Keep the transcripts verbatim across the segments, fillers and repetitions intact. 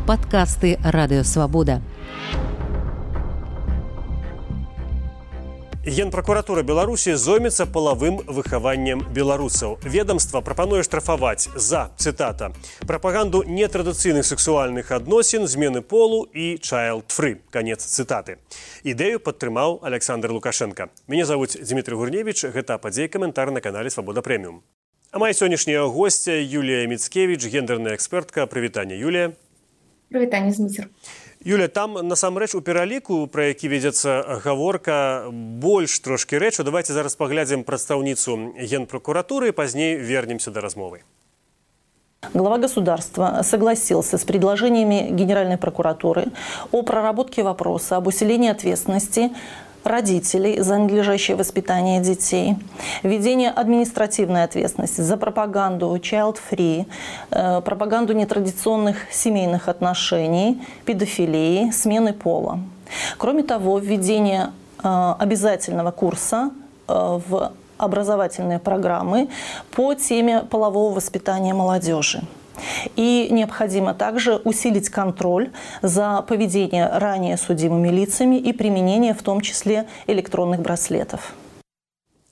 Падкасты Радыёвабода. Генпракуратура Беларусі зоймецца палавым выхаваннем беларусаў. Ведомства прапануе штрафаваць за, цытата, прапаганду нетрадыцыйных сексуальных адносін, змены полу і child-free. Канец цытаты. Ідэю падтрымаў Александр Лукашенко. Мяне завуць Дмітрий Гурневич, гэта падзей каментар на канале Свабода Прэміум. А моя сённяшняя госця Юлія Міцкевіч, гендерная экспертка. Прывітанне, Юлія. Прывітанне, Дмітрий. Юля, там насамрэч у пераліку, пра які вядзецца гаворка, больш трошкі рэчу. Давайте зараз паглядзім прадстаўніцу Генпрокуратуры, пазней вернемся до размовы. Глава государства согласился с предложениями Генеральной прокуратуры о проработке вопроса об усилении ответственности родителей за надлежащее воспитание детей, введение административной ответственности за пропаганду child-free, э, пропаганду нетрадиционных семейных отношений, педофилии, смены пола. Кроме того, введение э, обязательного курса э, в образовательные программы по теме полового воспитания молодежи. И необходимо также усилить контроль за поведением ранее судимыми лицами и применение в том числе электронных браслетов.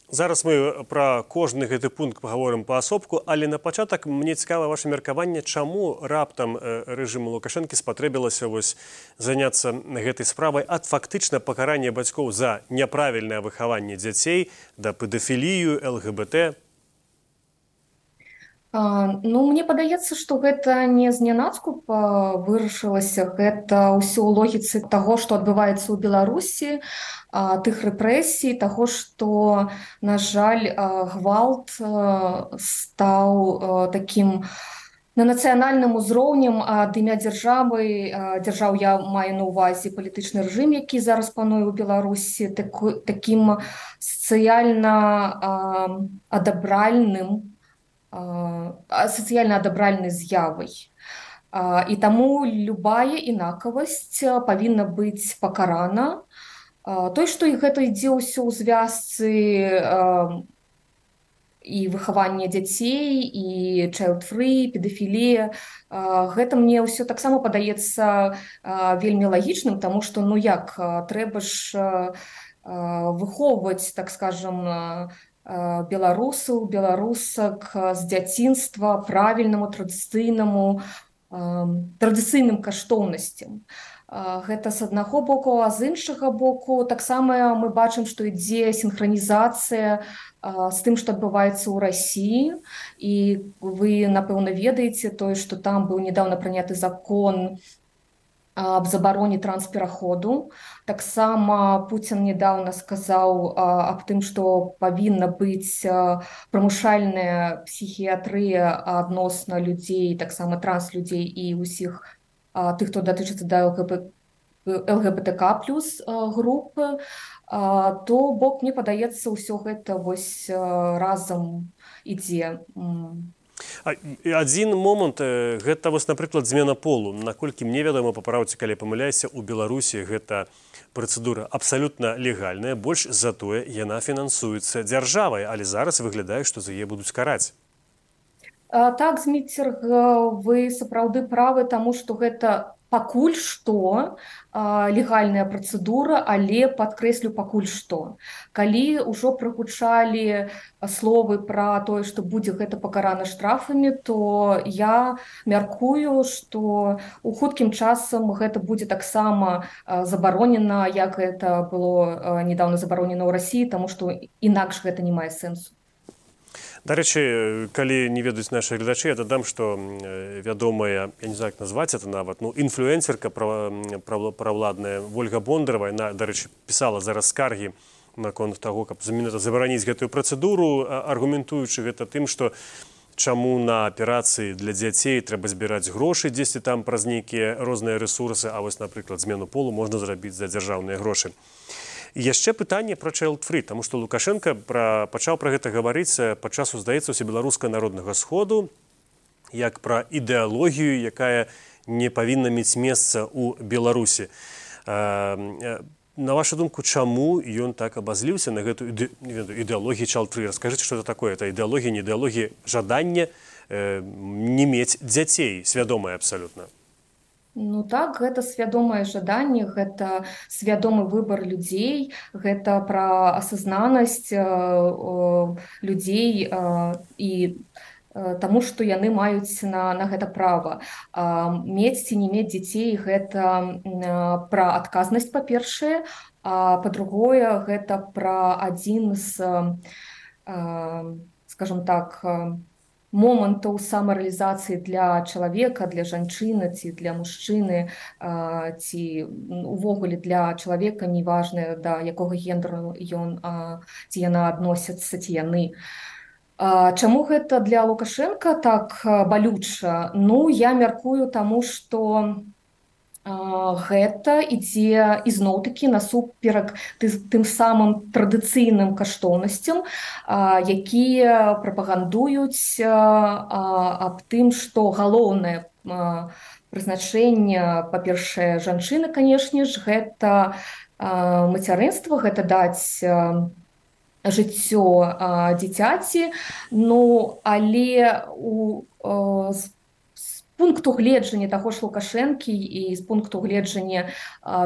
Зараз мы пра кожны гэты пункт паговорым паасобку, але на пачатак мне цікава ваше меркаванне, чаму раптам рэжыму Лукашэнкі спатрэбілася вось заняцца гэтай справай ад фактычна пакарання бацькоў за няправільнае выхаванне дзяцей да педафілію, эл гэ бэ тэ. Ну, мне падаецца, што гэта не знянацку вырашылася, гэта ўсё ў логіцы таго, што адбываецца ў Беларусі, тых рэпрэсій, таго, што, на жаль, гвалт стаў такім на нацыянальным узроўнем ад імя дзяржавы, дзяржаў я маю на ўвазе палітычны рэжым, які зараз пануе ў Беларусі, такім сацыяльна адабральным, сацыяльна адабральнай з'явай. І таму любая інакавасць павінна быць пакарана. Той, што і гэта ідзе ўсё ў звязцы і выхавання дзяцей, і child-free, педафілія, гэта мне ўсё таксама падаецца вельмі лагічным, таму што, ну як, трэба ж выхоўваць, так скажам, беларусаў, беларусак з дзяцінства правільнаму, традыцыйнаму, традыцыйным каштоўнасцям. Гэта з аднаго боку, а з іншага боку таксама мы бачым, што ідзе сінхранізацыя з тым, што адбываецца ў Расіі. І вы, напэўна, ведаеце тое, што там быў нядаўна прыняты закон аб забароне транспераходу. Таксама Пуцін недавно сказаў аб тым, што павінна быць прымушальная псіхіятрыя адносна людзей, таксама транслюдзей і ўсіх тых, хто датычыцца да эл гэ бэ тэ ка плюс групы, то бок, мне падаецца, ўсё гэта вось разам ідзе. Адзін момант, гэта вось, напрыклад, змена полу. Наколькі мне вядома, папраўце, калі памыляюся, у Беларусі гэта працэдура абсалютна легальная, больш затое яна фінансуецца дзяржавай, але зараз выглядае, што за яе будуць караць. Так, Зміцер, вы сапраўды правы, таму што гэта пакуль што легальная працэдура, але падкрэслю пакуль што. Калі ўжо прагучалі словы пра тое, што будзе гэта пакарана штрафамі, то я мяркую, што у хуткім часам гэта будзе таксама забаронена, як гэта было недавно забаронена ў Расіі, таму што інакш гэта не мае сэнсу. Дарэчы, калі не ведаюць нашы гледачы, я дадам, што вядомая, я не знаю, як назваць это нават, ну, інфлюэнсерка правладная Вольга Бондарова, яна, дарэчы, пісала зараз скаргі наконт таго, каб забараніць гэтую працэдуру, аргументуючы гэта тым, што чаму на аперацыі для дзяцей трэба збіраць грошы дзесьці там праз нейкія розныя рэсурсы, а вось, напрыклад, змену полу можна зрабіць за дзяржаўныя грошы. Яшчэ пытанне пра child-free, таму што Лукашенко пра, пачаў пра гэта гаварыць падчас, здаецца, усебеларускага народнага сходу, як пра ідэалогію, якая не павінна мець месца ў Беларусі. На вашу думку, чаму ён так абазліўся на гэту ідэалогію child-free? Раскажыце, што это такое? Это ідэалогія, не ідэалогія, жаданне не мець дзяцей, свядомае абсалютна. Ну так, гэта свядомае жаданне, гэта свядомы выбар людзей, гэта пра асазнанасць э, э, людзей э, і э, таму, што яны маюць на, на гэта права. А, мець ці не мець дзяцей гэта э, пра адказнасць, па-першае, а па-другое, гэта пра адзін з, э, скажем так, э, момантаў самарэалізацыі для чалавека, для жанчыны ці для мужчыны, ці увогуле для чалавека, неважна да якога гендеру ён ці яна адносяцца, ці яны. Чаму гэта для Лукашенка так балюча? Ну, я мяркую таму, што гэта ідзе ізноў-такі насуперак тым самым традыцыйным каштоўнасцям, якія прапагандуюць аб тым, што галоўнае прызначэнне, па-першае, жанчыны, канешне ж, гэта мацярынства, гэта даць жыццё дзіцяці, ну, але у пункту гледжання таго ж Лукашэнкі і з пункту гледжання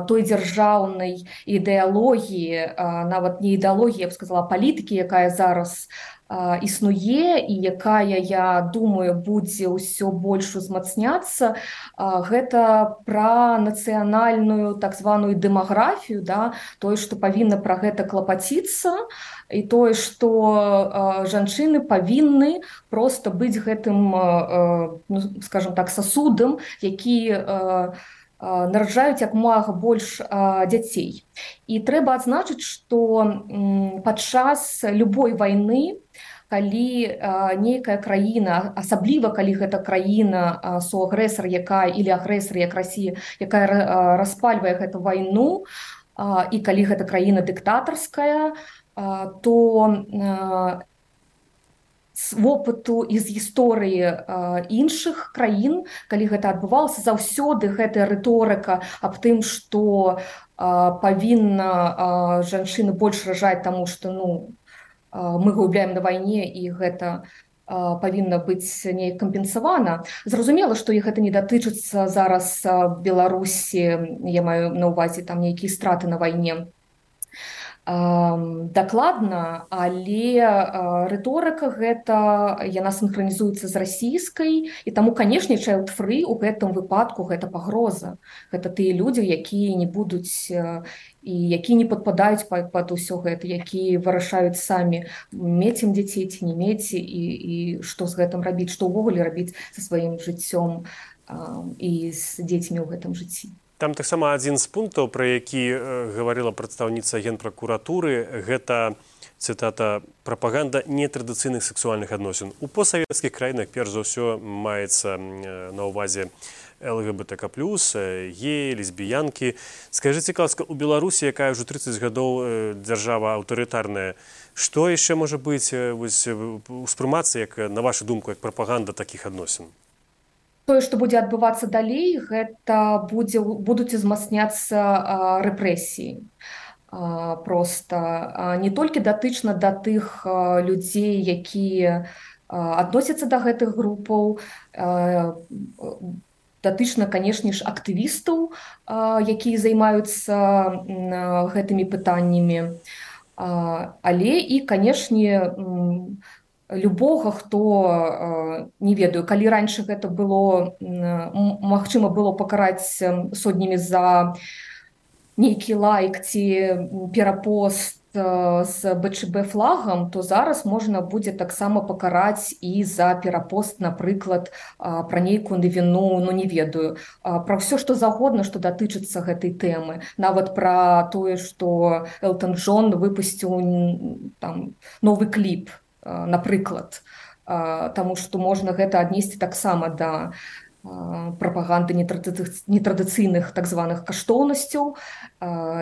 той дзяржаўнай ідэалогіі, нават не ідэалогіі, я б сказала, палітыкі, якая зараз існуе і якая, я думаю, будзе ўсё больш узмацняцца, гэта пра нацыянальную так званую дэмаграфію, да, тое, што павінна пра гэта клапаціцца, і тое, што жанчыны павінны проста быць гэтым, ну, скажем так, сасудам, які нараджаюць як мага больш дзяцей. І трэба адзначыць, што падчас любой вайны, калі нейкая краіна, асабліва калі гэта краіна суагрэсар, якая или агрэсар, як Расія, якая распальвае гэту вайну, і калі гэта краіна дыктатарская, то з вопыту і з гісторыі іншых краін, калі гэта адбывалася, заўсёды гэтая рыторыка аб тым, што павінна жанчыны больш ражаць, таму што, ну, мы губляем на вайне, і гэта павінна быць неяк кампенсавана. Зразумела, што іх гэта не датычыцца зараз Беларусі, я маю на ўвазе там нейкія страты на вайне. Дакладна, але рыторыка гэта, яна синхронізуецца з расійскай, і таму, канешне, child free у гэтым выпадку гэта пагроза. Гэта тыя людзі, якія не будуць і якія не падпадаюць пад усё гэта, якія вырашаюць самі, мець ім дзяцей ці не мець, і, і што з гэтым рабіць, што ўвогуле рабіць са сваім жыццём і з дзецьмі ў гэтым жыцці. Там таксама адзін з пунктаў, пра які гаварыла прадстаўніца генпракуратуры, гэта, цытата, прапаганда нетрадыцыйных сексуальных адносін. У постсавецкіх краінах перш за ўсё маецца на ўвазе эл гэ бэ тэ ка плюс, геі, лесбіянкі. Скажыце, ласка, у Беларусі, якая ўжо трыццаць гадоў дзяржава аўтарытарная, што яшчэ можа быць успрымацца, як, на вашу думку, як прапаганда такіх адносін? Тое, што будзе адбывацца далей, гэта будзе, будуць узмацняцца рэпрэсіі. Проста не толькі датычна да тых людзей, якія адносяцца да гэтых групаў, датычна, канешне ж, актывістаў, якія займаюцца гэтымі пытаннямі, але і, канешне, любога, хто, не ведаю, калі раньше гэта было, магчыма было пакараць сотнямі за нейкі лайк ці перапост з бэ чэ бэ флагам, то зараз можна будзе таксама пакараць і за перапост, напрыклад, пра нейкую навіну, ну не ведаю, пра ўсё, што загодна, што датычыцца гэтай тэмы. Нават пра тое, што Элтон Джон выпусціў там новы кліп, напрыклад, таму што можна гэта аднесці таксама да прапаганды нетрадыцыйных так званых каштоўнасцяў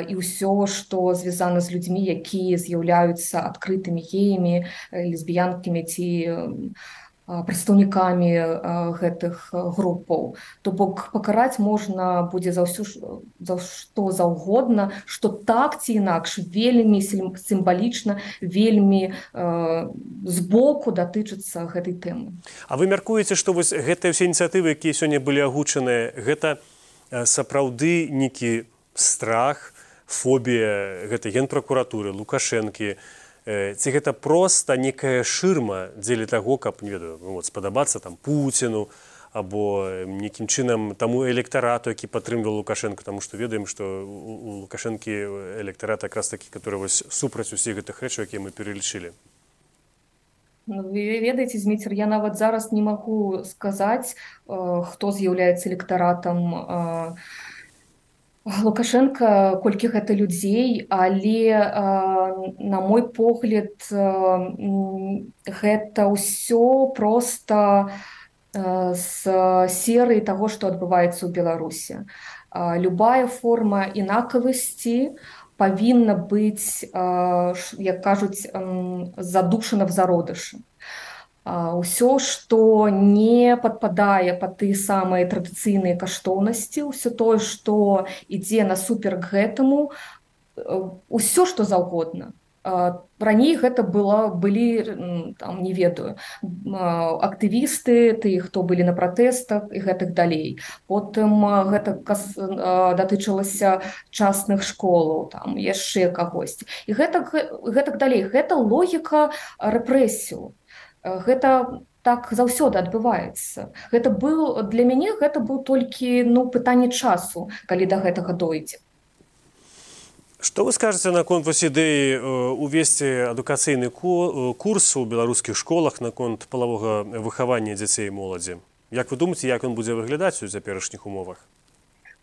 і ўсё, што звязана з людзьмі, якія з'яўляюцца адкрытымі геямі, лесбіянкамі ці прадстаўнікамі гэтых групаў. То бок пакараць можна будзе за ўсё, за што заўгодна, што так ці інакш вельмі сімвалічна, вельмі збоку датычыцца гэтай тэмы. А вы мяркуеце, што вось гэтыя ўсе ініцыятывы, якія сёння былі агучаныя, гэта сапраўды нейкі страх, фобія гэтай генпракуратуры, Лукашэнкі, ці гэта проста некая шырма дзеля таго, каб, не ведаю, вот, спадабацца там Пуціну, або нейкім чынам таму электарату, які падтрымліваў Лукашенко, таму што ведаем, што у Лукашэнкі электарат якраз такі, который вось супраць усіх гэтых рэчаў, якія мы пералічылі. Ну, вы ведаеце, Зміцер, я нават зараз не магу сказаць, хто з'яўляецца электаратам Лукашенко, колькі гэта людзей, але, на мой погляд, гэта ўсё проста з серыі таго, што адбываецца ў Беларусі. Любая форма інакавасці павінна быць, як кажуць, задушана в зародышы. Усё, што не падпадае пад тыя самыя традыцыйныя каштоўнасці, усё тое, што ідзе насуперак гэтаму, усё, што заўгодна. Раней гэта было, былі, там, не ведаю, актывісты, тыя, хто былі на пратэстах і гэтак далей. Потым гэта датычылася частных школаў, там, яшчэ кагосьці. І гэтак, гэтак далей. Гэта логіка рэпрэсію. Гэта так заўсёды адбываецца. Гэта быў, для мяне гэта быў толькі, ну, пытанне часу, калі да гэтага дойдзе. Што вы скажаце наконт вось ідэі увесці адукацыйны курс у беларускіх школах наконт палавога выхавання дзяцей і моладзі? Як вы думаеце, як ён будзе выглядаць у цяперашніх умовах?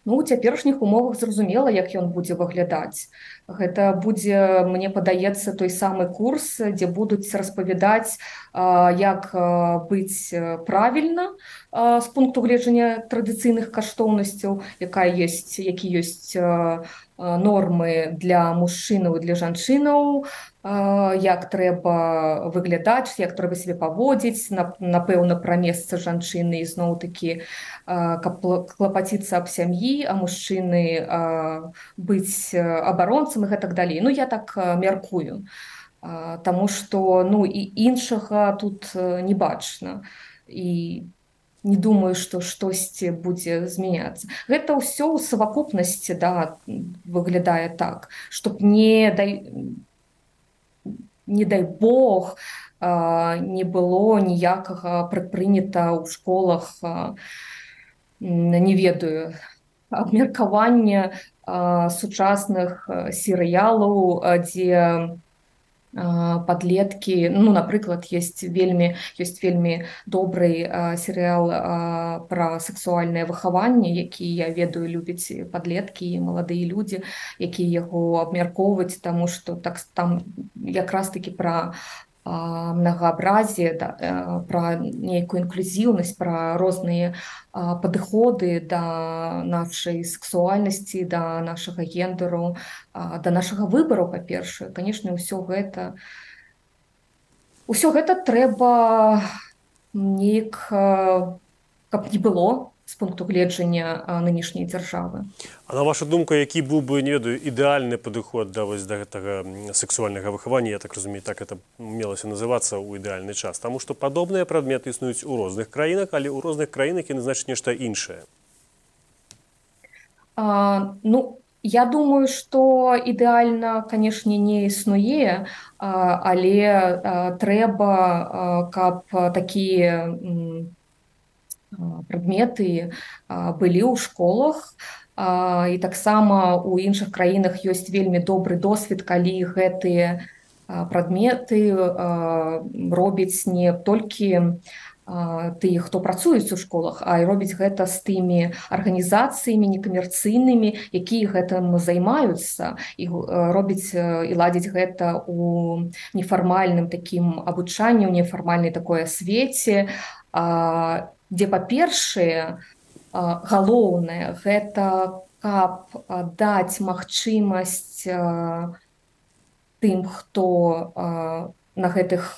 Ну, у цяперашніх умовах зразумела, як ён будзе выглядаць. Гэта будзе, мне падаецца, той самы курс, дзе будуць распавядаць, як быць правільна з пункту гледжання традыцыйных каштоўнасцяў, якая ёсць, які ёсць нормы для мужчынаў і для жанчынаў, як трэба выглядаць, як трэба себе паводзіць, напэўна, пра месца жанчыны, ізноў-такі, каб клапаціцца аб сям'і, а мужчыны быць абаронцам і гэтак далей. Ну, я так мяркую, таму што, ну, і іншага тут не бачна. І не думаю, што штосьці будзе змяняцца. Гэта ўсё ў савакупнасці, да, выглядае так, чтоб не дай, не дай Бог, не было ніякага прадпрынята ў школах, не ведаю, абмеркавання сучасных серыялаў, дзе падлеткі, ну, напрыклад, ёсць вельмі, ёсць вельмі добрый серыял пра сексуальнае выхаванне, які, я ведаю, любяць падлеткі і маладыя людзі, якія яго абмяркоўваюць, таму што так, там якраз-такі пра многообразие, да, про некую инклюзивность, про розныя падыходы да нашай сексуальнасці, да нашага гендеру, да нашага выбару, па-першае. Конечно, ўсё гэта, ўсё гэта трэба неяк, каб не было з пункту гледжання нынешняй дзяржавы. А на вашу думку, які быў бы, не ведаю, ідэальны падыход да вось да гэтага сексуальнага выхавання, я так разумею, так это мелася называцца ў ідэальны час, таму што падобныя прадметы існуюць у розных краінах, але ў розных краінах яны значаць нешта іншае. А, ну, я думаю, што ідэальна, канешне, не існуе, але трэба, каб такія прадметы былі ў школах, і таксама у іншых краінах ёсць вельмі добры досвед, калі гэтыя прадметы робяць не толькі тыя, хто працуюць у школах, а і робяць гэта з тымі арганізацыямі некамерцыйнымі, якія гэтым займаюцца, і робяць і ладзяць гэта у нефармальным такім абучанні, у нефармальнай такой асвеце, дзе, па-першае, галоўнае, гэта каб даць магчымасць тым, хто на гэтых,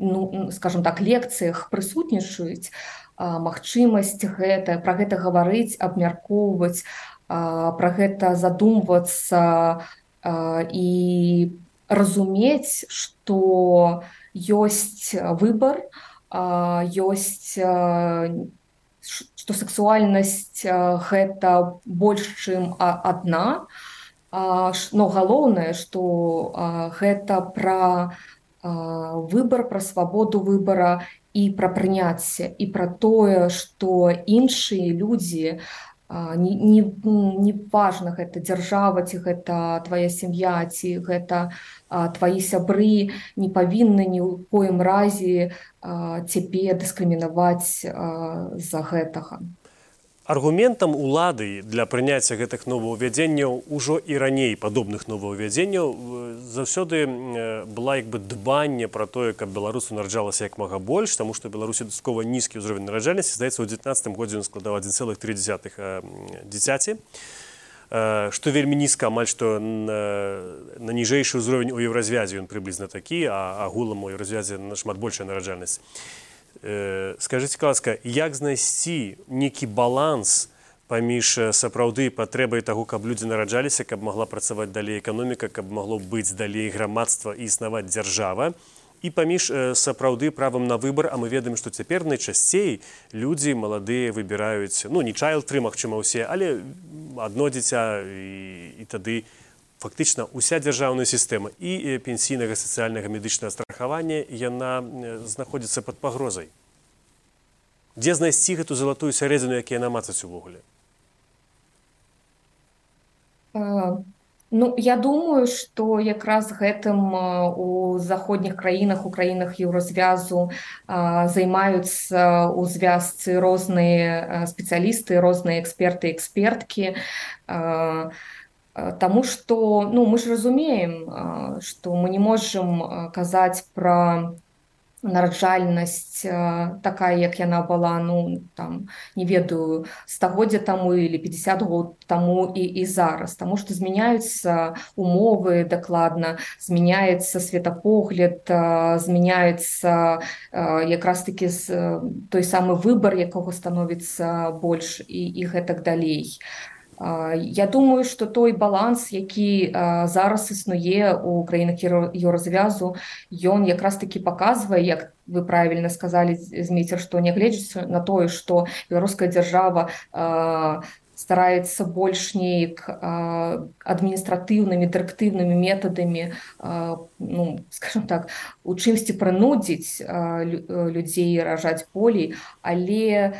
ну, скажем так, лекцыях прысутнічаюць, магчымасць гэта, пра гэта гаварыць, абмяркоўваць, пра гэта задумвацца і разумець, што ёсць выбар, ёсць што сексуальнасць гэта больш, чым адна, но галоўнае, што гэта пра выбар, пра свабоду выбара і пра прыняцце, і пра тое, што іншыя людзі, не, не, не важна, гэта дзяржава, ці гэта твая сям'я, ці гэта твои сябры, не павінны ні ў коім разе цябе дыскрымінаваць з-за гэтага. Аргументам улады для прыняцця гэтых новаўвядзенняў ужо і раней падобных новаўвядзенняў заўсёды была як бы дбанне пра тое, каб беларусу нараджалася як мага больш, таму што Беларусі дастаткова нізкі ўзровень нараджальнасці, здаецца, у дзевятнаццатым годзе ён складаў адзін цэлых тры дзесятых дзіцяці, што вельмі нізка, амаль што на, на ніжэйшы ўзровень у еўразвязе ён прыблізна такі, а агулам у еўразвязе нашмат большая нараджальнасць. Скажыце, ласка, як знайсці нейкі баланс паміж сапраўды патрэбай таго, каб людзі нараджаліся, каб магла працаваць далей эканоміка, каб магло быць далей грамадства і існаваць дзяржава, і паміж сапраўды правам на выбар, а мы ведаем, што цяпер найчасцей людзі маладыя выбіраюць, ну, не чайлд-фрі, магчыма, ўсе, але адно дзіця, і, і тады фактычна уся дзяржаўная сістэма і пенсійнага, сацыяльнага, медычнага страхавання, яна знаходзіцца пад пагрозай. Дзе знайсці гэту залатую сярэдзіну, якія намацаць увогуле? Ну, я думаю, што якраз гэтым у заходніх краінах, у краінах еўразвязу займаюцца ў звязцы розныя спецыялісты, розныя эксперты, эксперткі, Таму што, ну, мы ж разумеем, што мы не можам казаць пра нараджальнасць такая, як яна была, ну, там, не ведаю, стагоддзя таму или пятьдесят год таму і, і зараз. Таму што змяняюцца умовы дакладна, змяняецца светапогляд, змяняецца якраз-такі той самы выбар, якога становіцца больш і, і гэтак далей. Я думаю, што той баланс, які зараз існуе ў краінах еўразвязу, ён якраз-такі паказвае, як вы правільна сказалі, Змейцер, што нягледзячы на тое, што беларуская дзяржава стараецца больш неяк адміністратыўнымі, дырэктыўнымі метадамі, ну, скажем так, у чымсьці прынудзіць людзей ражаць болей, але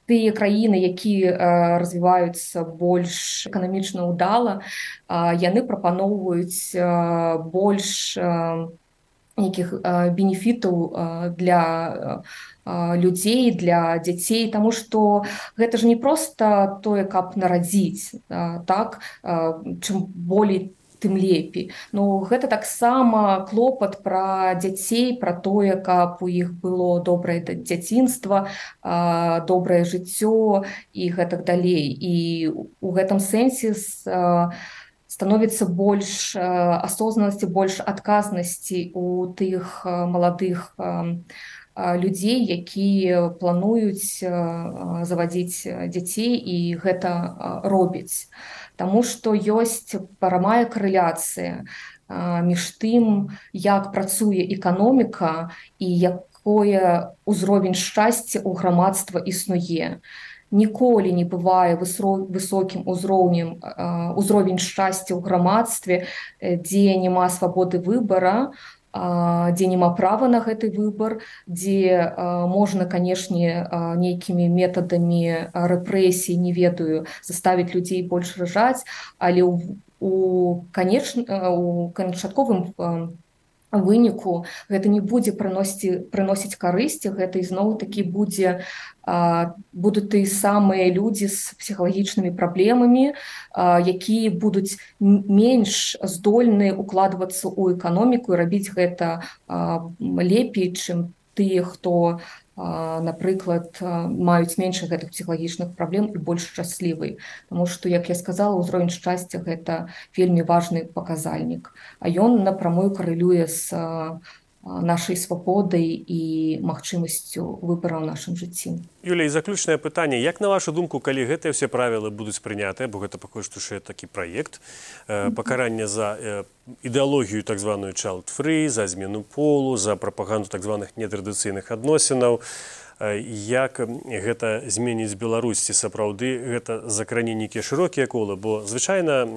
тыя краіны, якія развіваюцца больш эканамічна ўдала, яны прапаноўваюць больш нейкіх бенефітаў для людзей, для дзяцей, таму што гэта ж не проста тое, каб нарадзіць, так, чым болей, тым лепей. Ну, гэта таксама клопат пра дзяцей, пра тое, каб у іх было добрае дзяцінства, добрае жыццё і гэтак далей. І ў гэтым сэнсе становіцца больш асознанасці, больш адказнасці у тых маладых людзей, якія плануюць завадзіць дзяцей і гэта робяць. Таму што ёсць прамая карэляцыя між тым, як працуе эканоміка і якое ўзровень шчасця ў грамадства існуе. Ніколі не бывае высокім узроўнем узровень шчасця ў грамадстве, дзе няма свабоды выбара, дзе няма права на гэты выбар, дзе можна, канешне, нейкімі метадамі рэпрэсій, не ведаю, заставіць людзей больш ражаць, але у канчатковым выніку гэта не будзе прыносіць карысці, гэта ізноў-такі будзе будуць тыя самыя людзі з псіхалагічнымі праблемамі, якія будуць менш здольны укладвацца ў эканоміку і рабіць гэта лепей, чым тыя, хто, напрыклад, маюць менш гэтых псіхалагічных праблем і больш шчаслівы. Таму што, як я сказала, ўзровень шчасця – гэта вельмі важны паказальнік. А ён напрамую карэлюе з нашай свабодай і магчымасцю выбара ў нашым жыцці. Юлія, і заключнае пытанне. Як, на вашу думку, калі гэтыя ўсе правілы будуць прынятыя, бо гэта пакуль што яшчэ такі праект, пакаранне за ідэалогію так званую child-free, за змену полу, за прапаганду так званых нетрадыцыйных адносінаў, Як гэта зменіць Беларусь, ці сапраўды гэта закране нейкія шырокія колы, бо звычайна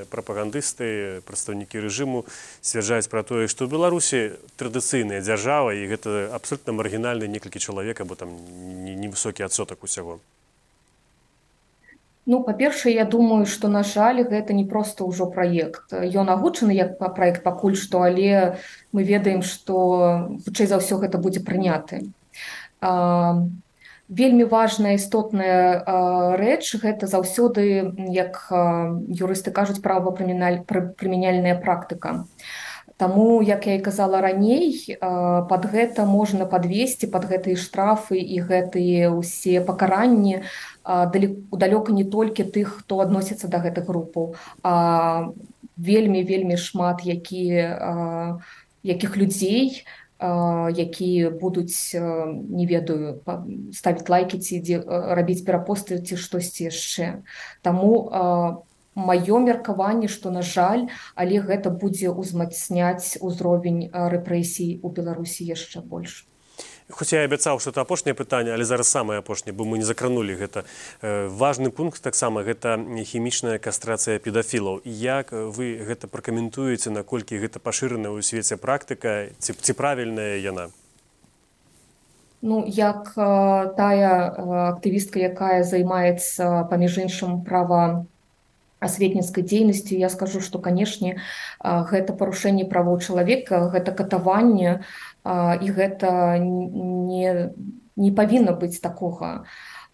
прапагандысты, прадстаўнікі рэжыму сцвярджаюць пра тое, што ў Беларусі традыцыйная дзяржава, і гэта абсолютно маргінальны некалькі чалавек, або там невысокі адсотак усяго. Ну, па-першае, я думаю, што, на жаль, гэта не проста ўжо праект. Ён агучаны як праект пакуль што, але мы ведаем, што хутчэй за ўсё гэта будзе прыняты. Вельмі важная, істотная рэч, гэта заўсёды, як юрысты кажуць, правапрымяняльная практыка. Таму, як я і казала раней, пад гэта можна падвесці, пад гэтыя штрафы і гэтыя ўсе пакаранні далёка не толькі тых, хто адносіцца да гэтых групаў, а вельмі-вельмі шмат якія, якіх людзей, якія будуць, не ведаю, ставіць лайкі ці рабіць перапосты ці штосьці яшчэ. Таму маё меркаванне, што, на жаль, але гэта будзе ўзмацняць узровень рэпрэсій у Беларусі яшчэ больш. Хоць я абяцаў, што это апошняе пытанне, але зараз самае апошняе, бо мы не закранулі гэта. Важны пункт таксама гэта хімічная кастрацыя педафілаў. Як вы гэта пракаментуеце, наколькі гэта пашыраная ў свеце практыка, ці, ці правільная яна? Ну, як тая актывістка, якая займаецца, паміж іншым, права асветніцкай дзейнасцю, я скажу, што, канешне, гэта парушэнне правоў чалавека, гэта катаванне, і гэта не, не павінна быць такога.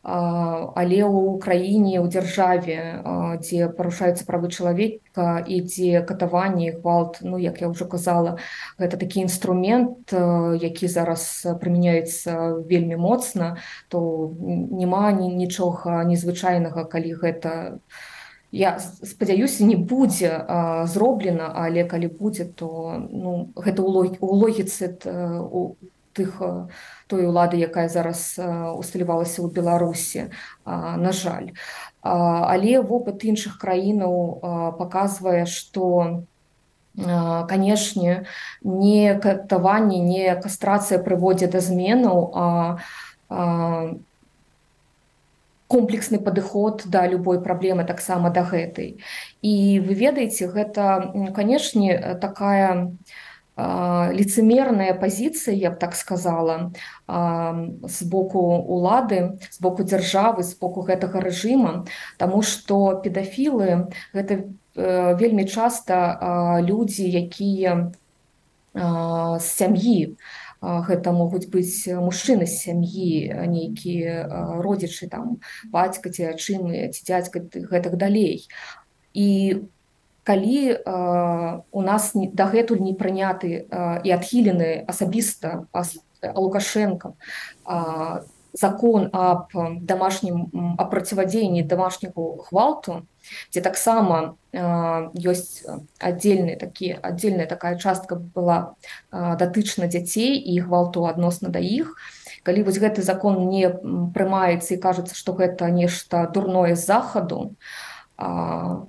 Але ў краіне, ў дзяржаве, дзе парушаюцца правы чалавека і дзе катаванне, гвалт, ну, як я ўжо казала, гэта такі інструмент, які зараз прымяняецца вельмі моцна, то няма нічога незвычайнага, калі гэта, я спадзяюся, не будзе а, зроблена, але калі будзе, то ну, гэта ў логіцы у тых, той улады, якая зараз усталявалася ў Беларусі, а, на жаль. А, але вопыт іншых краінаў а, паказвае, што, а, канешне, не катаванне, не кастрацыя прыводзіць да зменаў, а, а комплексны падыход да любой праблемы, таксама да гэтай. І вы ведаеце, гэта, канешне, такая а, лицемерная пазіцыя, я б так сказала, а, з боку улады, з боку дзяржавы, з боку гэтага рэжыма, таму што педафілы гэта а, вельмі часта а, людзі, якія а, з сям'і. Гэта могуць быць мужчыны з сям'і, нейкія родзічы, там, бацька ці айчымы, ці дзядзька, гэтак далей. І калі э, у нас дагэтуль не прыняты э, і адхілены асабіста Лукашенкам э, закон аб домашнім аб проциводзеянні домашняму гвалту, дзе таксама э, ёсць аддзельная такі аддзельная такая частка была э, датычна дзяцей і гвалту адносна да іх. Калі вось гэты закон не прымаецца і кажацца, што гэта нешта дурное з захаду, а,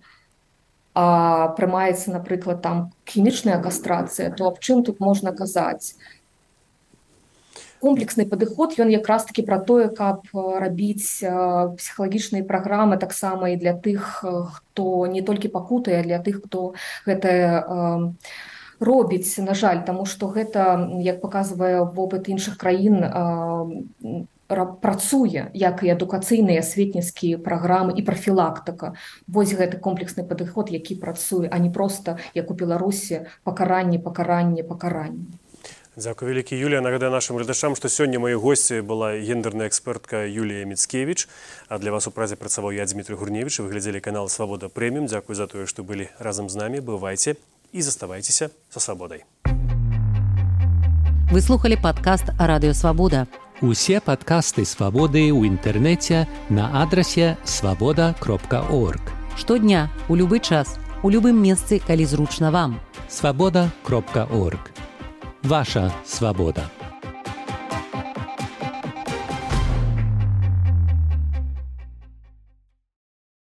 а прымаецца, напрыклад, там хімічная кастрацыя, то аб чым тут можна казаць? Комплексны падыход, ён якраз такі пра тое, каб рабіць псіхалагічныя праграмы таксама і для тых, хто не толькі пакутае, а для тых, хто гэта э, робіць, на жаль, таму што гэта, як паказвае вопыт іншых краін, э, працуе, як і адукацыйныя асветніцкія праграмы і прафілактыка. Вось гэты комплексны падыход, які працуе, а не проста, як у Беларусі, пакаранне, пакаранне, пакаранне. Дзякуй вялікі, Юлія. Нагадаю нашым гледачам, што сёння маёй госці была гендерная экспертка Юлія Міцкевіч, а для вас у празе працаваў я, Дмітрий Гурневіч. Вы глядзелі канал «Свабода Прэміум». Дзякуй за тое, што былі разам з намі. Бывайце і заставайцеся са свабодай. Вы слухали падкаст «Радыё Свабода». Усе падкасты «Свабоды» ў інтэрнэце на адрасе свабода кропка орг. Штодня, у любы час, у любым месцы, калі зручна вам. свабода кропка орг. Ваша свобода.